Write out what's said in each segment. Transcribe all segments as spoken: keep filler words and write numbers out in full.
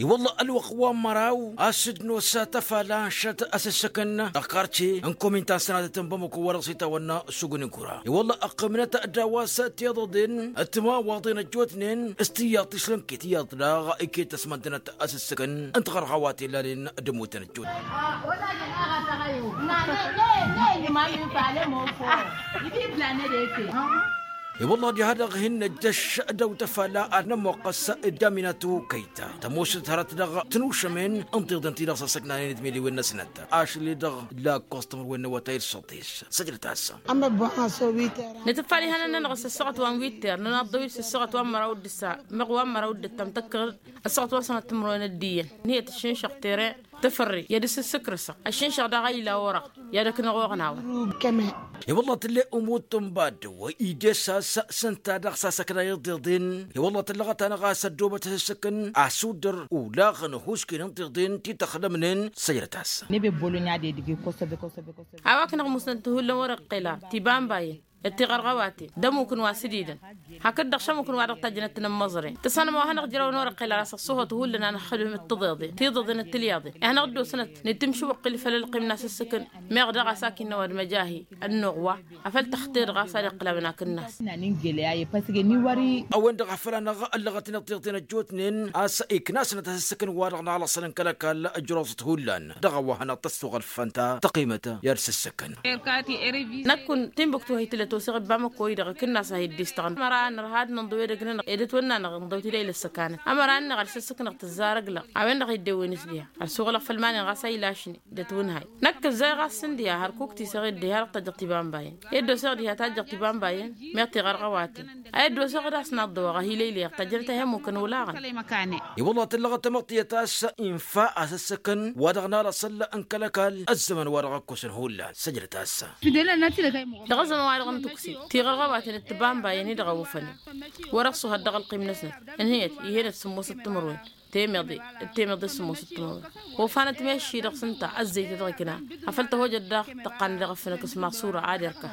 I-wălla ălwăqq wa n-măraw a-s dd-nosa tăfala n-šăt asǝssǝkăn dăɣ-karce n-komin ta n-sănatăt n-bamăko wa dăɣ-s itawănna s-ugǝn n-kura. I-wălla ăqqimnăt d-a-wa s-tiḍăḍen d-timawaḍen ăjjootnen s-tiyyăḍ tišlǝnket iyyăḍ daɣ iket ăsmăndănăt asǝssǝkăn n-tiɣărɣawaten lanen d-ămmutăn ăjjootnen. I-wălla diha-dăɣ hin-năjjăš dăw-tăfala ad-nămmoqqăs d-aminatu kăyta tămoosăt hărăt dăɣ-tinušămen n-tiḍen ti-dăɣ s-ăssăknanen d-miliwen-năsnăt ašăl-i-dăɣ lakkos timǝrwen n-awătay d-săḍis. Săjdăt-asăn. Nǝtǝffal ihănăn-nănăɣ s-ăssaɣăt wa n-witter nănaḍ-dăw-dd s-ăssaɣăt wa n-măraw d-ǝssa meɣ wa n-măraw d-ǝttam tăkkăɣ-dd ăssaɣăt wa n-sănăt timǝrwen d-iyyăn ǝnniyăt ǝššǝnšăɣ tere tǝfărre i-ad-dd-sǝssǝkrǝsăɣ ăššǝnšăɣ daɣ a ila orăɣ i-ad-ăknăɣ oɣnawăn. I-wălla tǝlle umut n-baddǝw ides a-s s-ǝnta daɣ s-asăkna iḍeḍen. I-wălla tǝllăɣăt-anăɣ a-s ăddoobăt asǝssǝkăn asuddăr ulaɣăn ăhuusken n-tiḍen ti tăxdămnen. Săjdăt-asăn. A-wa kănăɣ musnăt hullan wăr-iqqel ar tibambayen d-tiɣărɣăwaten d-ămmuk n-wa s-dd-idăn hakd-dăɣ šămmuk n-wa-dăɣ tajjănăt tinǝmmăẓren tǝssanăm a-wa hanăɣ-ijrăwăn wăr-iqqel ar asăɣ s-ohăt hullan a năxxălăm d-tiḍeḍen tiḍeḍen d-tilyaḍen. Ihănăɣ-dd-osănăt nǝtǝmšǝwăqqǝl făll-ălqim n-asǝssǝkăn meɣ daɣ a-s ak innă ăwadǝm ăjahi ănnuɣ wa afăl tăxter ɣas ad-iqqǝl amǝnak-năs. A-wen-dăɣ a făl-anăɣ ăllăɣătnen tiḍeḍen ăjjootnen a-s iknasnăt asǝssǝkăn wa-dăɣ n-alăṣṣălăn kăl-ăkall ăjroẓăt hullan dăɣ-a-wa hanăɣ-tăssuɣăl fănta tăqimăt i-ad-sǝssǝkăn. Năkkun timbuktu a hi-tǝllăt osăɣ ăbba măkkoy-dăɣ ikǝnnas a hi-dd-istăɣăn ămăra a nărha ad-nǝnḍǝw edăgg-nănăɣ ed ătwănna-năɣ ǝnḍăw tidăy lăssăkanăn ămăra-nănăɣ ad-sǝssǝknăɣ tǝzzar ăgg-lăɣ. A-wen-dăɣ a hi-dd-ewwen isdiha ăssuɣǝlăɣ făll-iman-in ɣas a ilašnen d-ătwǝnhay. Năkk ǝzzay ɣas s-ǝndiha hărkuk tiseɣ ed diha-dăɣ tajjăɣ tibambayen ed doseɣ diha tajjăɣ tibambayen meɣ tiɣărɣăwaten. A ed doseɣ d-asnaḍ d-ăwaɣ a hi-lăylăyăɣ tajjănăt a hi-ămmukăn olaɣăn. I-wălla tǝllăɣăt tamăḍtiyăt a-s infa asǝssǝkăn wa-dăɣ n-alăṣăl n-kăl-ăkall ăzzăman wa-dăɣ ăkkosăn hullan săjdăt-asăn. Dăɣ-ăzzăman wa-dăɣ n-tukse tiɣărɣăwaten d-tibambayen-i-dăɣ a ofănen wăr-ăṣṣuhăt dăɣ-ălqim-năsnăt. Ǝnhǝyăt ih'-en d-sǝmmosăt timǝrwen temeḍe d-temeḍe s-sǝmmosăt timǝrwen. Wa ofanăt meši-dăɣ s-ǝnta ăzzeyt dăɣ-ikna afăl tăhojăt daɣ tăqqan dăɣ-efănăk s-maṣura ad-irka.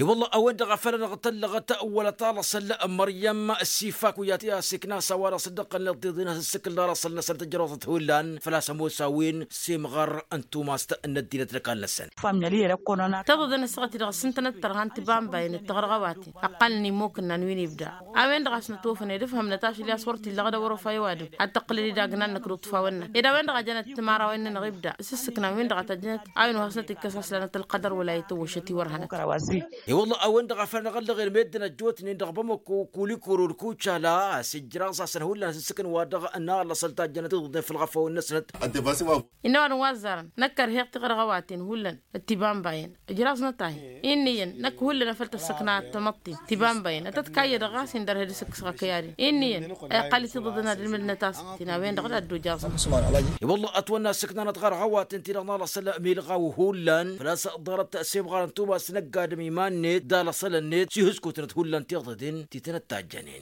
I-wălla a-wen-dăɣ a făl anăɣ-tăllăɣăt wăla talăṣăl n-măryăm s-ifak wi ad-t-iknas a-wa dăɣ-s dd-ăqqălnen tiḍeḍen a-s ǝssǝkǝl n-alăṣăl-năsăn tǝjrăwăḍăt hullan făl-a-s ămoos a-wen s-imɣăr n-tumast n-ăddinăt n-ăkall-năsăn. Tăḍăḍăn ăssaɣăt-i-dăɣ s-ǝntănăt tărha n-tibambayen d-tiɣărɣăwaten ăqqalăn imokǝnnan wi n-ibda. A-wen-dăɣ a-s nătofăn ed ǝfhămnăt ašăl i-a-s wăr t-illa ɣǝd a wăr-ofa i-ăwadǝm ad-tăqqǝlăn idagnan năkk d-uṭṭfawăn-năk ed a-wen-dăɣ a jănăt timărawăyăn-nănăɣ ibda s-ǝssǝknan-win-dăɣ a tăjjănăt a-wen ohăsnăt ikkăs aslanăt ălqădăr wăla ităwwăšăt i-wăr hanăt. I-wălla a-wen-dăɣ a făl anăɣ-ălleɣen meddǝn ăjjootnen dăɣ-bamăko kulikoro d-kucala a-s ijraẓ-asăn hullan a-s ǝssǝkăn wa dăɣ-nalăṣăl tajjănăt iḍǝḍen făll-iɣăfawăn-năsnăt. Innă ăwadǝm wa ăzzarăn năkk ărheɣ tiɣărɣăwaten hullan d-tibambayen ǝjraẓnăt-ahi. Inn'-iyyăn năkk hullan a făl tăssăkna ad-tamăḍt-in tibambayen ad-tăt-kayyădăɣ ɣas indărhed s-ǝkkǝsăɣ akăyad-in. Inn'-iyyăn a iqqal-i tiḍǝḍăn ad-ǝlmǝdnăt-asăt-in a-wen-dăɣ d-ad-dd-ojjaẓăn. I-wălla ătwănna ǝssǝknanăt ɣărɣăwaten-ti-dăɣ n-alăṣăl milɣaw hullan făl-a-s ḍarăt s-imɣar n-tumas n-ăgg-adǝm iman-net d-alăṣăl-net s-ihǝskutnăt hullan tiḍǝḍen ti tăn-ăttajjănen.